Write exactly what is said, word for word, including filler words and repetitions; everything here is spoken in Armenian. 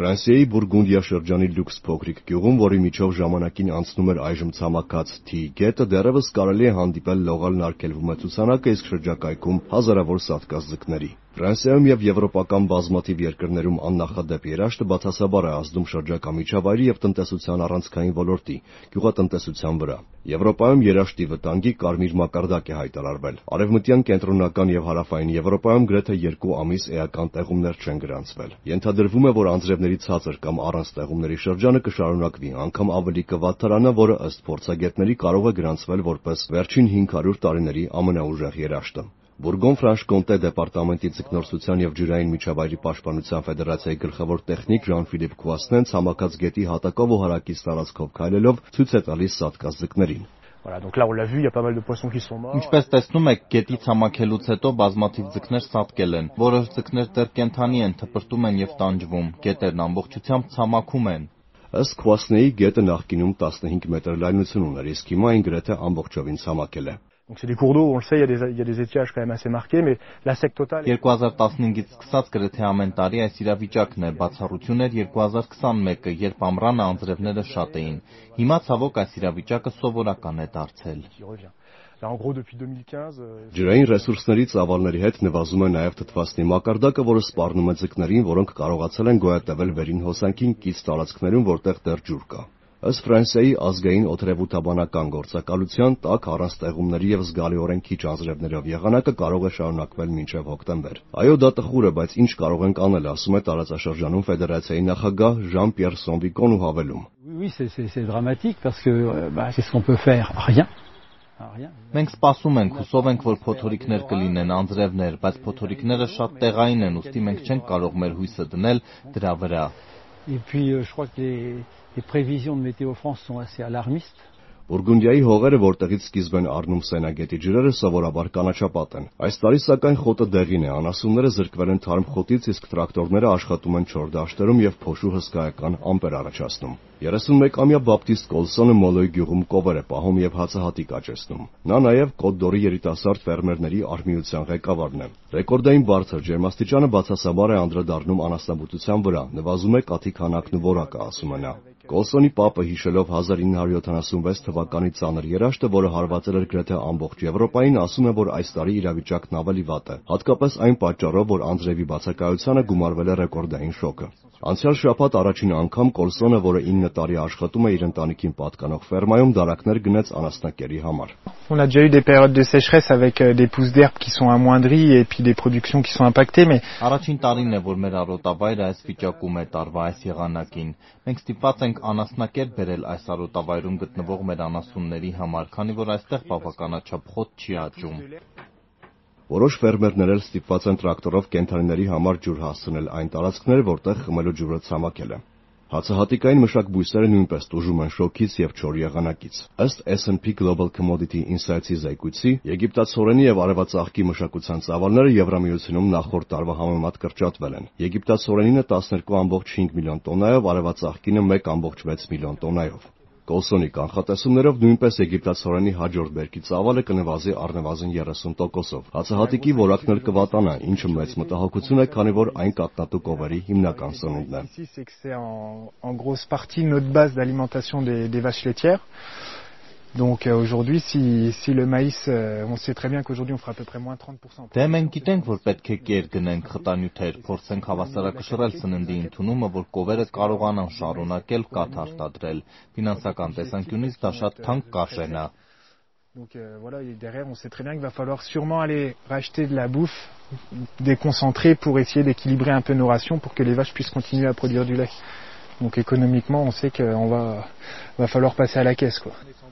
Ֆրանսիայի Բուրգունդիա շրջանի լյուքս փոքրիկ գյուղում, որի միջով ժամանակին անցնում էր այժմ ցամաքած Թի գետը, դեռևս կարելի է հանդիպել լողալն արգելվում է ցուցանակը, իսկ շրջակայքում հազարավոր սատկած ձկների։ Ֆրանսիայում եւ եվրոպական բազմաթիվ երկրներում աննախադեպ երաշտը բացասաբար է ազդում շրջակա միջավայրի եւ տնտեսության առանցքային ոլորտի, գյուղատնտեսության վրա։ Եվրոպայում երաշտի վտանգի կարմիր մակարդակ է հայտարարվել։ Արևմտյան, կենտրոնական եւ հարավային Եվրոպայում գրեթե երկու ամիս էական տեղումներ չեն գրանցվել։ Ենթադրվում է, որ անձրևների ցածր կամ առանց տեղումների շրջանը կշարունակվի, անգամ ավելի կվատթարանա, որը ըստ փորձագետների կարող է գրանցվել որպես վերջին հինգ հարյուր տարիների ամենաուժեղ երաշտը։ Բուրգոն-Ֆրանշկոնտե դեպարտամենտի ձկնորսության եւ ջրային միջավայրի պաշտպանության ֆեդերացիայի գլխավոր տեխնիկ Ժան-Ֆիլիպ Քուասնեն ցամաքած գետի հատակով ու հարակից տարածքով քայլելով ցույց է տալիս սատկած ձկներին։ Ինչպես տեսնում եք, գետի ցամաքելուց հետո բազմաթիվ ձկներ սատկել են, որոշ ձկներ դեռ կենդանի են, թպրտում են եւ տանջվում, գետերն ամբողջությամբ ցամաքում են։ Ըստ Քուասնեի գետը նախկինում տասնհինգ մետր լայնություն ուներ, իսկ հիմա այն գրեթե ամբողջովին ցամաքել է։ երկու հազար տասնհինգից սկսած գրեթե ամեն տարի այս իրավիճակն է, բացառություն էր երկու հազար քսանմեկը, երբ ամռանը անձրևները շատ էին։ Հիմա ցավոք այս իրավիճակը սովորական է դարձել։ Ջրային ռեսուրսների ծավալների հետ նվազում է նաև թթվասնի մակարդակը, որը սպառնում է ձկներին, որոնք կարողացել են գոյատևել վերին հոսանքին կից տարածքներում, որտեղ դեռ ջուր կա։ Ըստ Ֆրանսիայի ազգային օդերևութաբանական գործակալության, տաք առանց տեղումների եւ զգալիորեն քիչ անձրևներով եղանակը կարող է շարունակվել մինչեւ հոկտեմբեր։ Այո, դա տխուր է, բայց ինչ կարող ենք անել, ասում է տարածաշրջանում ֆեդերացիայի նախագահ Ժան-Պիեր Սոնվիկոն ու հավելում. Մենք սպասում ենք, հուսով ենք, որ փոթորիկներ կլինեն, անձրևներ, բայց փոթորիկները շատ տեղային են, ուստի մենք չենք կարող մեր հույսը դնել դրա վրա։ Les prévisions de Météo France sont assez alarmistes. Բուրգունդիայի հողերը, որտեղից սկիզբ են առնում Սենագետի ջրերը, սովորաբար կանաչապատ են։ Այս տարի սակայն խոտը դեղին է, անասունները զրկվել են թարմ խոտից, իսկ տրակտորները աշխատում են չոր դաշտերում եւ փոշու հսկայական ամպեր առաջացնում։ երեսունմեկամյա Բապտիստ Կոլսոնը Մոլոյ գյուղում կովեր է պահում եւ հացահատիկ աճեցնում։ Նա նաեւ Կոտ-դ'Որի երիտասարդ ֆերմերների արհմիության ղեկավարն է։ Ռեկորդային բարձր ջերմաստիճանը բացասաբար է անդրադառնում անասնաբուծության վրա, նվազում է կաթի քանակն ու որակը, ասում է նա։ Կոլսոնի պապը հիշելով հազար ինը հարյուր յոթանասունվեց թվականի ծանր երաշտը, որը հարվածել էր գրեթե ամբողջ Եվրոպային, ասում է, որ այս տարի իրավիճակն ավելի վատ է, հատկապես այն պատճառով, որ անձրևի բացակայությանը գումարվել է ռեկորդային շոկը։ Անցյալ շաբաթ առաջին անգամ Կոլսոնը, որը ինը տարի աշխատում է իր ընտանիքին պատկանող ֆերմայում, դարակներ գնեց անասնակերի համար։ On a déjà eu des périodes de sécheresse avec des pousses d'herbe qui sont amoindries et puis des productions qui sont impactées, mais Առաջին տարին է, որ մեր արոտավայրը այս վիճակում է տարվա այս եղանակին։ Մենք ստիպված ենք անասնակեր բերել այս արոտավայրում գտնվող մեր անասունների համար, քանի որ այստեղ բավականաչափ խոտ չի աճում։ Որոշ ֆերմերներ էլ ստիպված են տրակտորով կենդանիների համար ջուր հասցնել այն տարածքներ, որտեղ խմելու ջուրը ցամաքել է։ Հացահատիկային մշակ բույսերը նույնպես տուժում են շոկից եւ չոր եղանակից։ Ըստ S and P Global Commodity Insights-ի զեկույցի, եգիպտացորենի եւ արևածաղկի մշակության ծավալները Եվրամիությունում նախորդ տարվա համեմատ կրճատվել են։ Եգիպտացորենինը տասներկու կόμμα հինգ միլիոն տոննայով, արևածաղկինը մեկ կόμma վեց միլիոն տոննայով։ Կոլսոնի կանխատեսումներով նույնպես եգիպտացորենի հաջորդ բերքի ծավալը կնվազի առնվազն երեսուն տոկոսով։ Հացահատիկի որակն էլ կվատանա, ինչը մեծ մտահոգություն է, քանի որ այն կաթնատու կովերի հիմնական սնունդն է։ C'est en, en grosse partie notre base d'alimentation des, des vaches laitières. Donc euh, aujourd'hui, si, si le maïs, euh, on sait très bien qu'aujourd'hui on fera à peu près moins trente pour cent. Դե մենք գիտենք, որ պետք է կեր գնենք խտանյութեր, փորձենք հավասարակշռել սննդի ընդունումը, որ կովերը կարողանան շարունակել կաթ արտադրել։ Ֆինանսական տեսանկյունից դա շատ թանկ կարժեն է։ Donc euh, voilà, et derrière, on sait très bien qu'il va falloir sûrement aller racheter de la bouffe déconcentrée pour essayer d'équilibrer un peu nos rations pour que les vaches puissent continuer à produire du lait. Donc économiquement, on sait qu'on va, va falloir passer à la caisse, quoi.